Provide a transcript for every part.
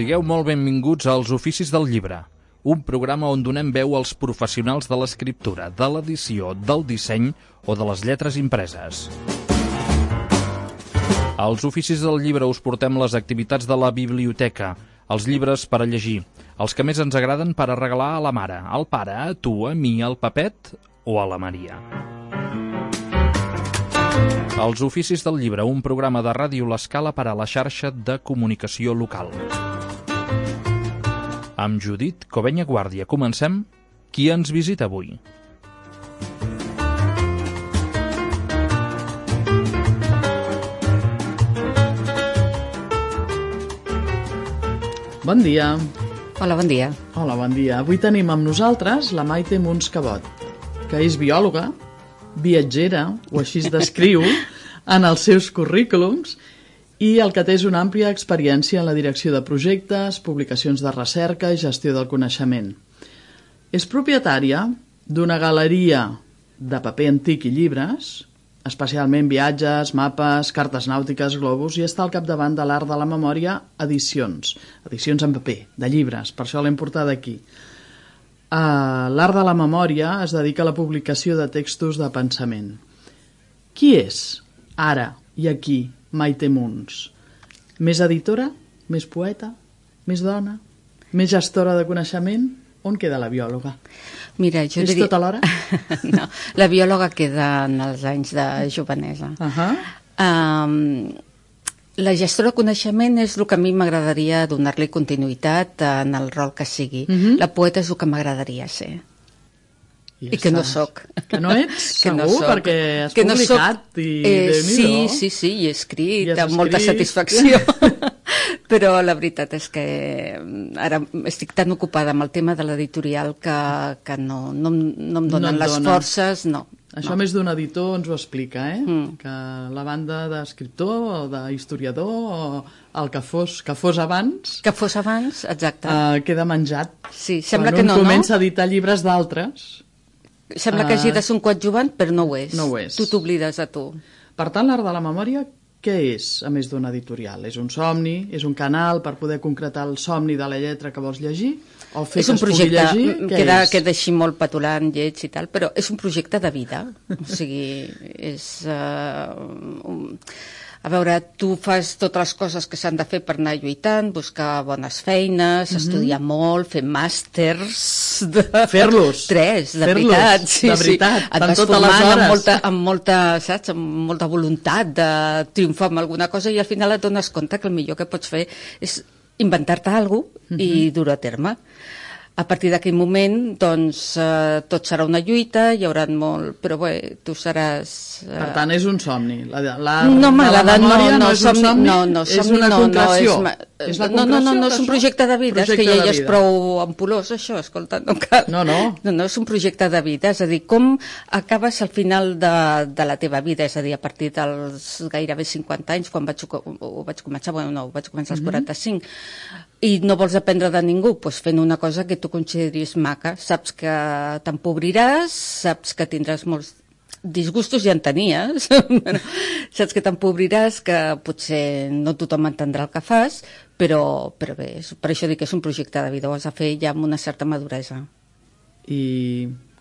Sigueu molt benvinguts als Oficis del Llibre, un programa on donem veu als professionals de l'escriptura, de l'edició, del disseny o de les lletres impreses. Als Oficis del Llibre us portem les activitats de la biblioteca, els llibres per a llegir, els que més ens agraden per a regalar a la mare, al pare, a tu, a mi, al Pepet o a la Maria. Els Oficis del Llibre, un programa de Ràdio L'Escala per a la xarxa de comunicació local. Amb Judit Covenya Guàrdia comencem. Qui ens visita avui? Bon dia. Hola, bon dia. Hola, bon dia. Avui tenim amb nosaltres la Maite Muns Cabot, que és biòloga, viatgera, o així es descriu en els seus currículums, i el que té és una àmplia experiència en la direcció de projectes, publicacions de recerca i gestió del coneixement. És propietària d'una galeria de paper antic i llibres, especialment viatges, mapes, cartes nàutiques, globus, i està al capdavant de l'Art de la Memòria Edicions en paper, de llibres, per això l'hem portada aquí. L'Art de la Memòria es dedica a la publicació de textos de pensament. Qui és, ara i aquí, Maite Muns? Més editora? Més poeta? Més dona? Més gestora de coneixement? On queda la biòloga? Mira, jo és diria... tot alhora? No, la biòloga queda en els anys de jovenesa. La gestora de coneixement és el que a mi m'agradaria donar-li continuïtat en el rol que sigui. La poeta és el que m'agradaria ser. I que no soc. Que no ets, segur, perquè has publicat i Déu-n'hi-do. Sí, i he escrit amb molta satisfacció. Però la veritat és que ara estic tan ocupada amb el tema de l'editorial que no em donen les forces, no. Això més d'un editor ens ho explica, que la banda d'escriptor o d'historiador o el que fos abans... Que fos abans, exacte. Queda menjat. Sí, sembla que no, Quan un comença a editar llibres d'altres... Sembla que hagi de ser un coadjuvant, però no ho és. No ho és. Tu t'oblides a tu. Per tant, l'Art de la Memòria, què és, a més d'un editorial? És un somni? És un canal per poder concretar el somni de la lletra que vols llegir? O fer que es pugui llegir? Queda així molt petulant, lleig i tal, però és un projecte de vida. O sigui, és... A veure, tu fas totes les coses que s'han de fer per anar lluitant, buscar bones feines, estudiar molt, fer màsters... Fer-los. 3, de veritat. Sí, de veritat, et vas formant amb molta voluntat de triomfar amb alguna cosa i al final et dones compte que el millor que pots fer és inventar-te alguna cosa i dur-ho a terme. A partir d'aquell moment, doncs, tot serà una lluita, hi haurà molt... Però bé, tu seràs... Per tant, és un somni. No m'agrada, no és un somni, és una concreció. No, és un projecte de vida, és que ja és prou ampulós, això, escolta, no cal. No, és un projecte de vida, és a dir, com acabes al final de la teva vida, és a dir, a partir dels gairebé 50 anys, quan ho vaig començar als 45, i no vols aprendre de ningú, doncs fent una cosa que tu consideris maca. Saps que t'empobriràs, saps que tindràs molts disgustos, ja en tenies, saps que t'empobriràs, que potser no tothom entendrà el que fas, però bé, per això dic que és un projecte de vida, ho has de fer ja amb una certa maduresa. I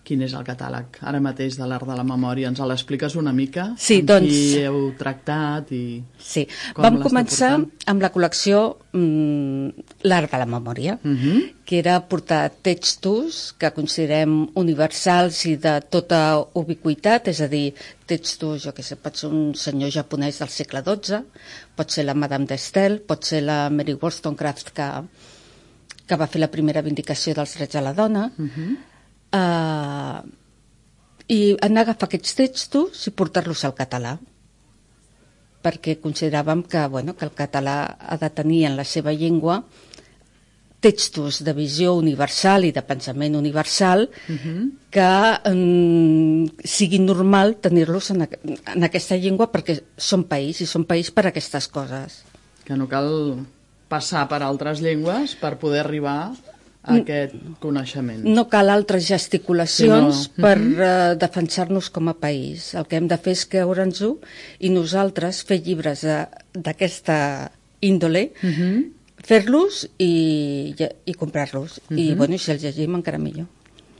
quin és el catàleg ara mateix de l'Art de la Memòria? Ens l'expliques una mica? Sí, doncs... Qui heu tractat i... Sí, vam començar amb la col·lecció l'Art de la Memòria, que era portar textos que considerem universals i de tota ubiquitat, és a dir, textos, jo què sé, pot ser un senyor japonès del segle XII, pot ser la Madame de Staël, pot ser la Mary Wollstonecraft, que va fer la primera vindicació dels drets de la dona, i anar a agafar aquests textos i portar-los al català, perquè consideràvem que el català ha de tenir en la seva llengua textos de visió universal i de pensament universal que sigui normal tenir-los en aquesta llengua perquè són país, i són país per aquestes coses. Que no cal passar per altres llengües per poder arribar a aquest coneixement. No cal altres gesticulacions per defensar-nos com a país. El que hem de fer és creure'ns-ho i nosaltres fer llibres d'aquesta índole fer-los i comprar-los. I, bueno, si els llegim encara millor.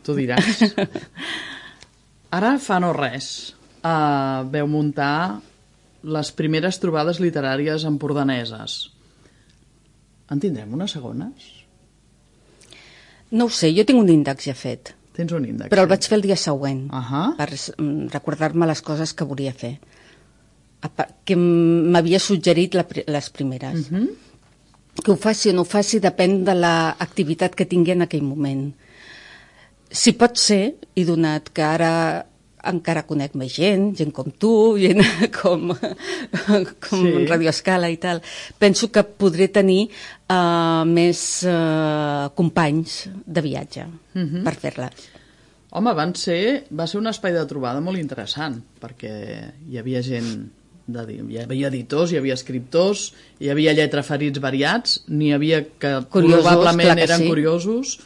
Tu diràs. Ara fa no res. Veu muntar les primeres trobades literàries empordaneses. En tindrem unes segones? No ho sé, jo tinc un índex ja fet. Tens un índex. Però el vaig fer el dia següent, per recordar-me les coses que volia fer. Que m'havia suggerit les primeres. Que ho faci o no ho faci depèn de l'activitat que tingui en aquell moment. Si pot ser, i donat que ara encara conec més gent com tu, gent com Radio Escala i tal, penso que podré tenir més companys de viatge per fer-les. Home, va ser un espai de trobada molt interessant, perquè hi havia gent, hi havia editors, hi havia escriptors, hi havia lletraferits variats, n'hi havia que probablement eren curiosos,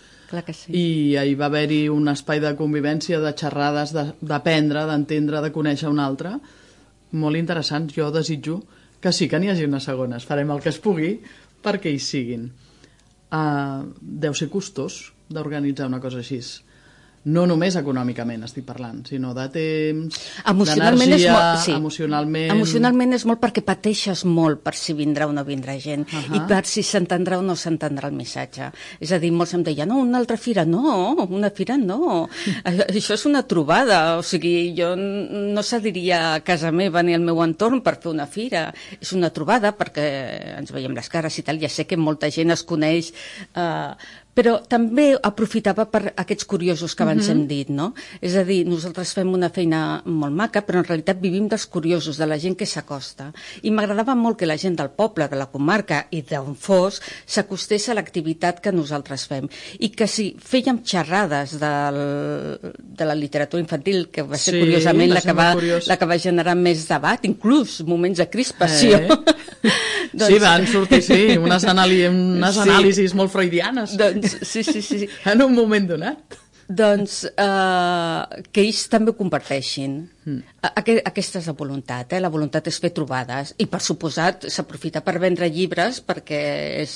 i hi va haver-hi un espai de convivència, de xerrades, d'aprendre, d'entendre, de conèixer un altre, molt interessant. Jo desitjo que sí que n'hi hagi unes segones, farem el que es pugui perquè hi siguin. Deu ser costós d'organitzar una cosa així. No només econòmicament estic parlant, sinó de temps, d'energia, emocionalment... Emocionalment és molt perquè pateixes molt per si vindrà o no vindrà gent i per si s'entendrà o no s'entendrà el missatge. És a dir, molts em deien, no, una altra fira, no, una fira no. Això és una trobada, o sigui, jo no cediria a casa meva ni al meu entorn per fer una fira. És una trobada perquè ens veiem les cares i tal, ja sé que molta gent es coneix... però també aprofitava per aquests curiosos que abans hem dit, no? És a dir, nosaltres fem una feina molt maca, però en realitat vivim dels curiosos, de la gent que s'acosta. I m'agradava molt que la gent del poble, de la comarca i d'on fos, s'acostés a l'activitat que nosaltres fem. I que si fèiem xerrades de la literatura infantil, que va ser curiosament la que va generar més debat, inclús moments de crispació. Sí, van sortir, unes anàlisis molt freudianes. Sí. En un moment donat. Doncs que ells també ho comparteixin. Aquesta és la voluntat. La voluntat és fer trobades. I, per suposat, s'aprofita per vendre llibres perquè és...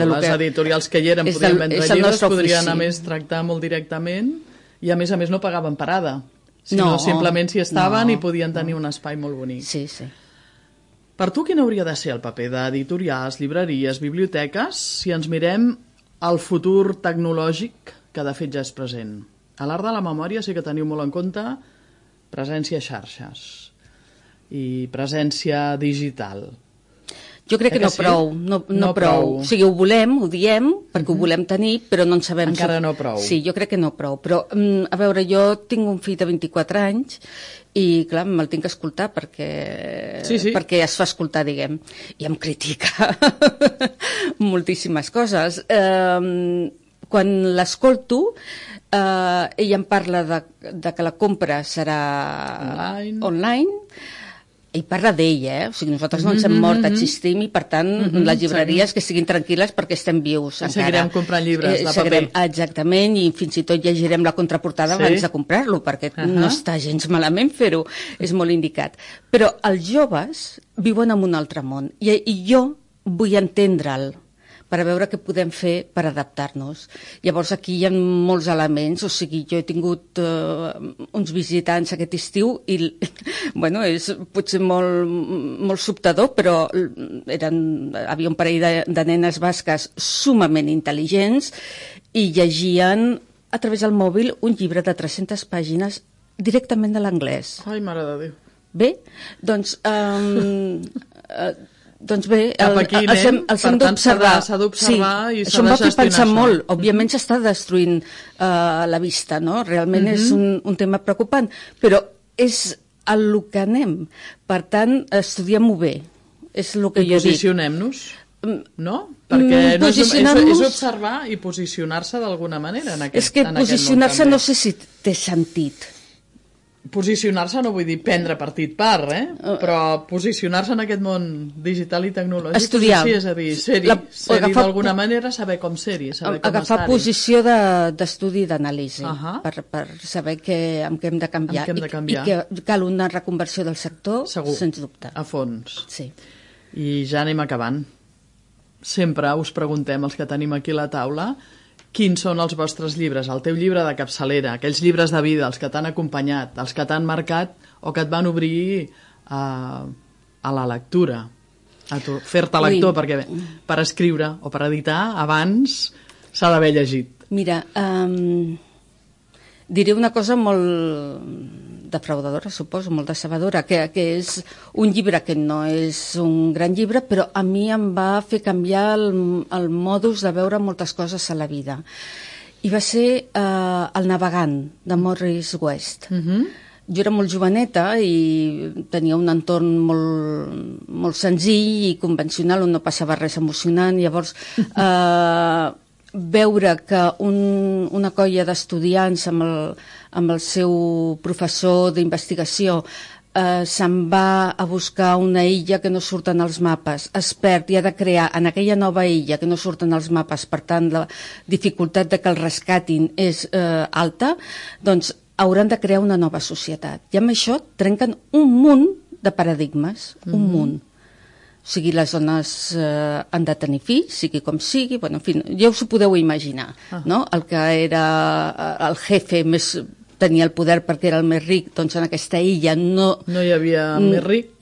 Les editorials que hi eren podien vendre llibres, podrien a més tractar molt directament i a més no pagaven parada. Sinó simplement s'hi estaven i podien tenir un espai molt bonic. Sí. Per tu, quin hauria de ser el paper d'editorials, llibreries, biblioteques, si ens mirem al futur tecnològic que de fet ja és present? A l'Art de la Memòria sí que teniu molt en compte presència a xarxes i presència digital. Jo crec que no prou, no prou. O sigui, ho volem, ho diem, perquè ho volem tenir, però no en sabem... Encara no prou. Sí, jo crec que no prou. Però, a veure, jo tinc un fill de 24 anys i, clar, me'l tinc que escoltar perquè es fa escoltar, diguem, i em critica moltíssimes coses. Quan l'escolto, ell em parla de que la compra serà online. Ell parla d'ell, o sigui, nosaltres no ens hem mort, existim i, per tant, les llibreries que siguin tranquil·les perquè estem vius encara. Seguirem comprant llibres de paper. Exactament, i fins i tot llegirem la contraportada abans de comprar-lo, perquè no està gens malament fer-ho, és molt indicat. Però els joves viuen en un altre món i jo vull entendre'l per a veure què podem fer per adaptar-nos. Llavors, aquí hi ha molts elements, o sigui, jo he tingut uns visitants aquest estiu i, bueno, és potser molt sobtador, però havia un parell de nenes basques sumament intel·ligents i llegien a través del mòbil un llibre de 300 pàgines directament de l'anglès. Ai, mare de Déu. Bé, doncs... Doncs bé, els hem d'observar. S'ha d'observar i s'ha de gestionar. Això em va fer pensar molt. Òbviament s'està destruint la vista, no? Realment és un tema preocupant, però és el que anem. Per tant, estudiem-ho bé. És el que jo dic. Posicionem-nos, no? Perquè és observar i posicionar-se d'alguna manera en aquest món. És que posicionar-se no sé si té sentit. Posicionar-se no vull dir prendre partit però posicionar-se en aquest món digital i tecnològic. Estudiar. És a dir, ser-hi d'alguna manera, saber com ser-hi, saber com estar-hi. Agafar posició d'estudi i d'anàlisi per saber en què hem de canviar. I que cal una reconversió del sector, sens dubte. A fons. Sí. I ja anem acabant. sempre us preguntem, els que tenim aquí a la taula, quins són els vostres llibres, el teu llibre de capçalera, aquells llibres de vida, els que t'han acompanyat, els que t'han marcat o que et van obrir a la lectura, a fer-te lector, perquè per escriure o per editar abans s'ha d'haver llegit. Mira, diré una cosa molt defraudadora, suposo, molt decebedora, que és un llibre que no és un gran llibre, però a mi em va fer canviar el modus de veure moltes coses a la vida. I va ser El navegant, de Morris West. Jo era molt joveneta i tenia un entorn molt senzill i convencional, on no passava res emocionant. Llavors, veure que una colla d'estudiants amb el seu professor d'investigació se'n va a buscar una illa que no surten als mapes, es perd i ha de crear en aquella nova illa que no surten als mapes, per tant la dificultat de que el rescatin és alta, doncs hauran de crear una nova societat. I amb això trenquen un munt de paradigmes, un munt. O sigui, les dones han de tenir fills, sigui com sigui, bueno, en fi, ja us ho podeu imaginar, no? El que era el jefe tenia el poder perquè era el més ric, doncs en aquesta illa no hi havia més ric.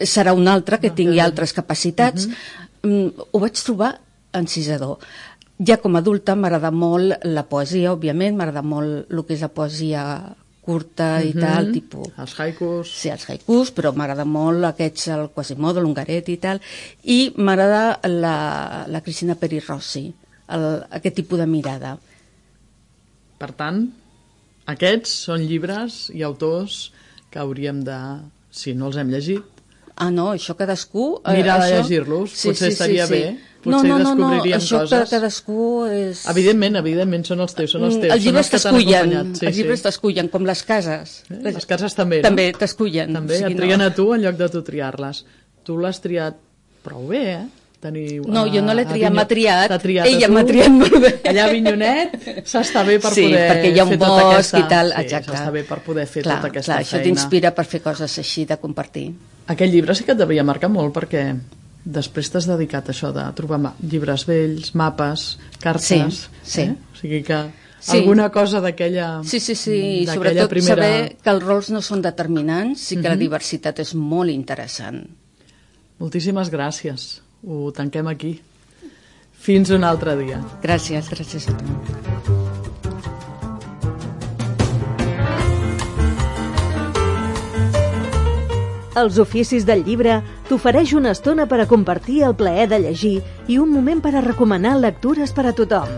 Serà un altre que tingui altres capacitats. Ho vaig trobar encisador. Ja com a adulta m'agrada molt la poesia, òbviament, m'agrada molt el que és la poesia curta i tal, tipus... Els haikus. Sí, els haikus, però m'agrada molt aquests, el Quasimodo, l'Hongaret i tal, i m'agrada la Cristina Peri Rossi, aquest tipus de mirada. Per tant, aquests són llibres i autors que hauríem de, si no els hem llegit... no, això cadascú... Mirar de llegir-los, potser estaria bé. Potser descobriríem coses. Això que cadascú és... Evidentment, són els teus. Els llibres t'escullen, els llibres t'escullen, com les cases. Les cases també, no? També t'escullen. També et trien a tu en lloc de tu triar-les. Tu l'has triat prou bé, No, jo no l'he triat, m'ha triat. Ella m'ha triat molt bé. Allà a Avinyonet s'està bé per poder perquè hi ha un bosc i tal, exacte. S'està bé per poder fer tota aquesta feina. Això t'inspira per fer coses així, de compartir. Aquest llibre sí que et devia marcar molt, perquè després t'has dedicat a això de trobar llibres vells, mapes, cartes... Sí. O sigui que alguna cosa d'aquella Sí, i sobretot saber que els rols no són determinants i que la diversitat és molt interessant. Moltíssimes gràcies. Ho tanquem aquí. Fins un altre dia. Gràcies a tu. Els oficis del llibre t'ofereix una estona per a compartir el plaer de llegir i un moment per a recomanar lectures per a tothom.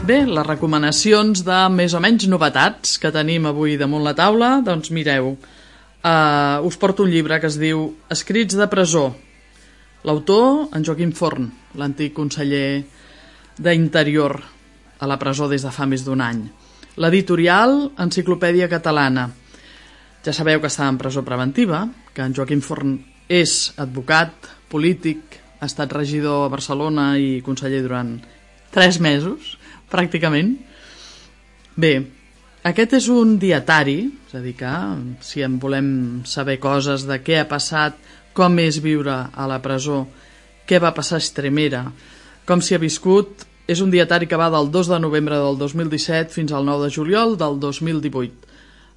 Bé, les recomanacions de més o menys novetats que tenim avui damunt la taula, doncs mireu, us porto un llibre que es diu Escrits de presó. L'autor, en Joaquim Forn, l'antic conseller d'Interior a la presó des de fa més d'un any. L'editorial, Enciclopèdia Catalana. Ja sabeu que està en presó preventiva, que en Joaquim Forn és advocat, polític, ha estat regidor a Barcelona i conseller durant 3 mesos, pràcticament. Bé, aquest és un dietari, és a dir que si en volem saber coses de què ha passat, com és viure a la presó, què va passar a Estremera, com s'hi ha viscut, és un dietari que va del 2 de novembre del 2017 fins al 9 de juliol del 2018.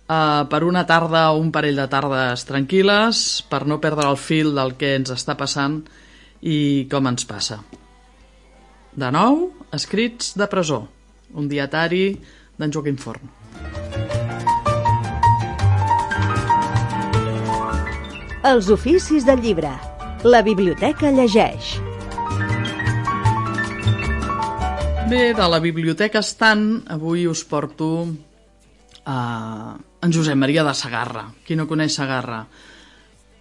Per una tarda o un parell de tardes tranquil·les, per no perdre el fil del que ens està passant i com ens passa. De nou, Escrits de presó, un dietari d'en Joaquim Forn. Els oficis del llibre. La biblioteca llegeix. Bé, de la biblioteca Estant, avui us porto en Josep Maria de Segarra. Qui no coneix Segarra?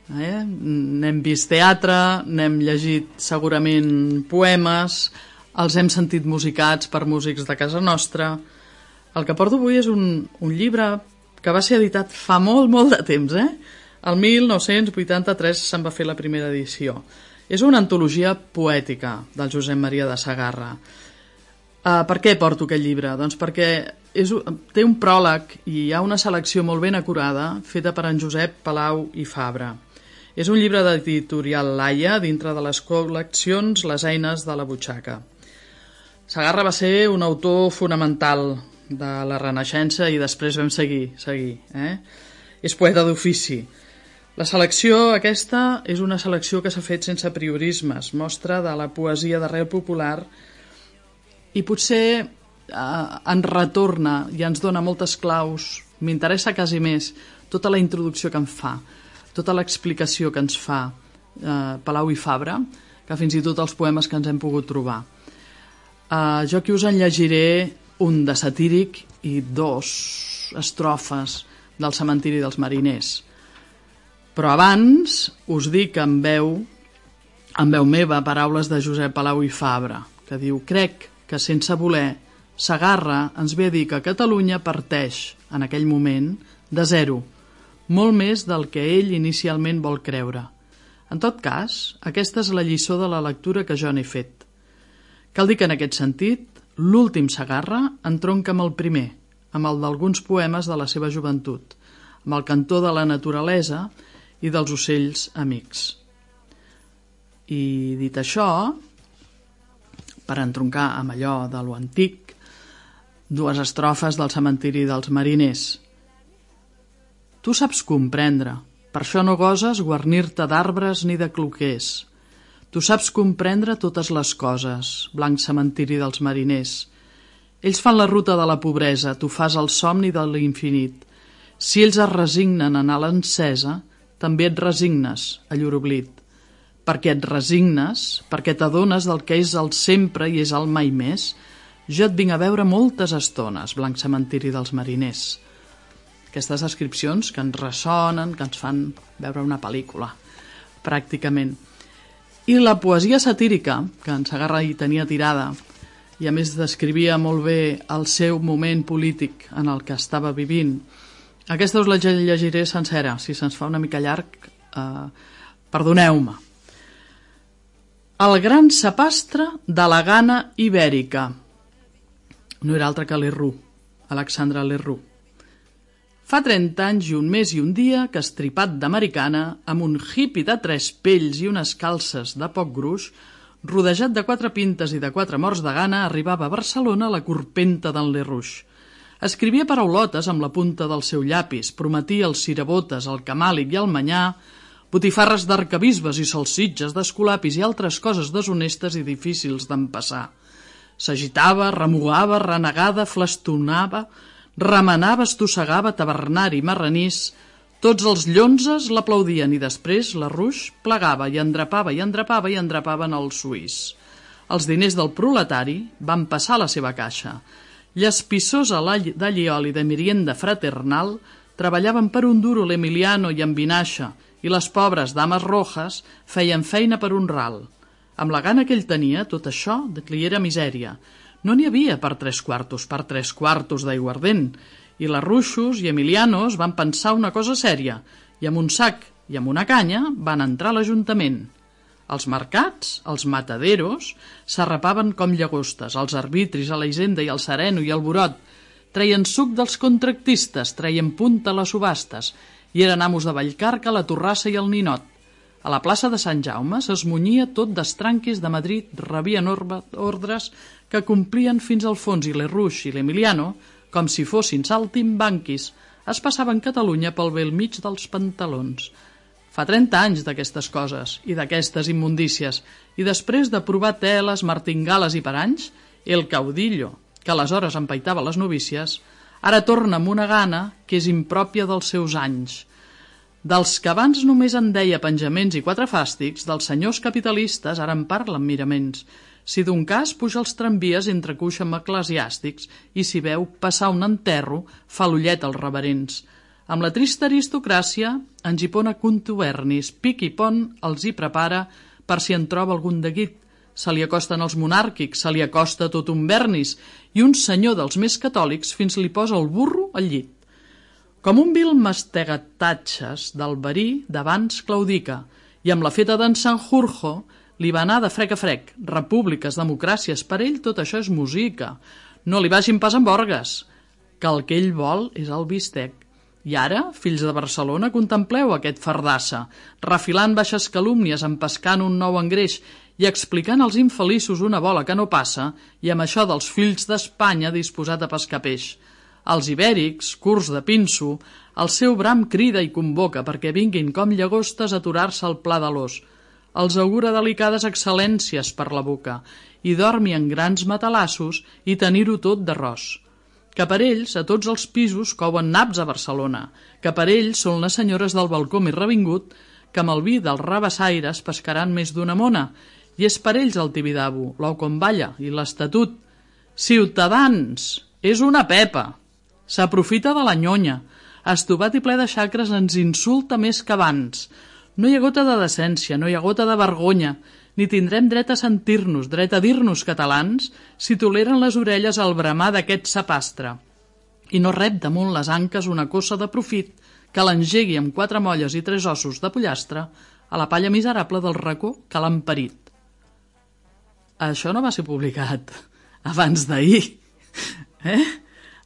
N'hem vist teatre, n'hem llegit segurament poemes, els hem sentit musicats per músics de casa nostra. El que porto avui és un llibre que va ser editat fa molt de temps, El 1983 se'n va fer la primera edició. És una antologia poètica del Josep Maria de Segarra. Per què porto aquest llibre? Doncs perquè té un pròleg i hi ha una selecció molt ben acurada feta per en Josep Palau i Fabra. És un llibre d'editorial Laia dintre de les col·leccions Les eines de la butxaca. Segarra va ser un autor fonamental de la Renaixença i després vam seguir. És poeta d'ofici. La selecció aquesta és una selecció que s'ha fet sense priorismes, mostra de la poesia d'arrel popular i potser ens retorna i ens dona moltes claus. M'interessa quasi més tota la introducció que em fa, tota l'explicació que ens fa Palau i Fabra, que fins i tot els poemes que ens hem pogut trobar. Jo aquí us en llegiré un de satíric i 2 estrofes del Cementiri dels Mariners. Però abans us dic en veu meva paraules de Josep Palau i Fabra, que diu: crec que sense voler Segarra ens ve a dir que Catalunya parteix, en aquell moment, de zero, molt més del que ell inicialment vol creure. En tot cas, aquesta és la lliçó de la lectura que jo n'he fet. Cal dir que en aquest sentit, l'últim Segarra entronca amb el primer, amb el d'alguns poemes de la seva joventut, amb el cantó de la naturalesa i dels ocells amics. I dit això, per entroncar amb allò de lo antic, 2 estrofes del Cementiri dels Mariners. Tu saps comprendre, per això no goses guarnir-te d'arbres ni de cloquers. Tu saps comprendre totes les coses, blanc cementiri dels mariners. Ells fan la ruta de la pobresa, tu fas el somni de l'infinit. Si ells es resignen a anar a l'encesa, també et resignes a llur oblit. Perquè et resignes, perquè t'adones del que és el sempre i és el mai més, jo et vinc a veure moltes estones, blanc cementiri dels mariners. Aquestes descripcions que ens ressonen, que ens fan veure una pel·lícula, pràcticament. I la poesia satírica, que en Segarra hi tenia tirada, i a més descrivia molt bé el seu moment polític en el que estava vivint, aquesta us la llegiré sencera, si se'ns fa una mica llarg, perdoneu-me. El gran sapastre de la gana ibèrica. No era altre que Lerroux, Alexandre Lerroux. Fa 30 anys i un mes i un dia que, estripat d'americana, amb un hippie de 3 pells i unes calces de poc gruix, rodejat de 4 pintes i de 4 morts de gana, arribava a Barcelona la corpenta d'en Lerroux. Escrivia paraulotes amb la punta del seu llapis, prometia els cirabotes, el camàlic i el manyà, botifarres d'arcabisbes i salsitges d'escolapis i altres coses deshonestes i difícils d'empassar. S'agitava, remugava, renegava, flastonava, remenava, estossegava, tavernari, marranís. Tots els llonzes l'aplaudien i després Lerroux plegava i endrapava i endrapava i endrapaven el suís. Els diners del proletari van passar a la seva caixa. Llespissosa d'alliol i de merienda fraternal treballaven per un duro l'Emiliano i en Vinaixa i les pobres dames rojas feien feina per un ral. Amb la gana que ell tenia, tot això li era misèria. No n'hi havia per 3 quartos d'aiguardent, i Lerrouxos i Emilianos van pensar una cosa sèria, i amb un sac i amb una canya van entrar a l'Ajuntament. Els mercats, els mataderos, s'arrapaven com llagostes, els arbitris a la hisenda i el sereno i el burot, treien suc dels contractistes, treien punta a les subhastes, i eren amos de Vallcarca, la Torrassa i el Ninot. A la plaça de Sant Jaume s'esmunyia tot d'estranquis de Madrid, rebien ordres que complien fins al fons i Lerroux i l'Emiliano, com si fossin saltimbanquis, es passaven Catalunya pel bell mig dels pantalons. Fa 30 anys d'aquestes coses i d'aquestes immundícies, i després de provar teles, martingales i paranys, el caudillo, que aleshores empaitava les novícies, ara torna amb una gana que és impròpia dels seus anys. Dels que abans només en deia penjaments i 4 fàstics, dels senyors capitalistes ara en parlen miraments. Si d'un cas puja els tramvies entre cuixa amb eclesiàstics i si veu passar un enterro fa l'ullet als reverents. Amb la trista aristocràcia, en Gipona contubernis, pic i pont els hi prepara per si en troba algun de guit. Se li acosten els monàrquics, se li acosta tot un vernis i un senyor dels més catòlics fins li posa el burro al llit. Com un vil mastegatatges del verí d'abans claudica, i amb la feta d'en Sanjurjo Li va anar de frec a frec. Repúbliques, democràcies, per ell tot això és música. No li vagin pas amb orgues, que el que ell vol és el bistec. I ara, fills de Barcelona, contempleu aquest fardassa, refilant baixes calúmnies, empescant un nou engreix i explicant als infeliços una bola que no passa, i amb això dels fills d'Espanya disposat a pescar peix. Els ibèrics, curts de pinso, el seu bram crida i convoca perquè vinguin com llagostes a aturar-se al pla de l'os. Els augura delicades excel·lències per la boca i dormi en grans matalassos i tenir-ho tot d'arròs. Que per ells, a tots els pisos, couen naps a Barcelona, que per ells són les senyores del balcó més revingut, que amb el vi dels rabassaires pescaran més d'una mona, i és per ells el Tibidabo, l'ou com balla i l'Estatut. Ciutadans, és una pepa, s'aprofita de la nyonya, estovat i ple de xacres ens insulta més que abans. No hi ha gota de decència, no hi ha gota de vergonya, ni tindrem dret a sentir-nos, dret a dir-nos catalans, si toleren les orelles al bramar d'aquest sapastre. I no rep damunt les anques una cossa de profit que l'engegui amb 4 molles i 3 ossos de pollastre a la palla miserable del racó que l'han parit. Això no va ser publicat abans d'ahir.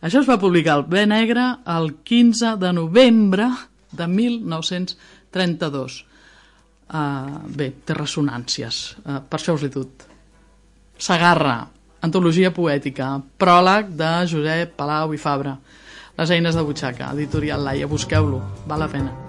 Això es va publicar al Bé Negre el 15 de novembre de 1932. Bé, té ressonàncies, per això us l'he dut. Segarra, antologia poètica, pròleg de Josep Palau i Fabra, Les eines de butxaca, editorial Laia, busqueu-lo, val la pena.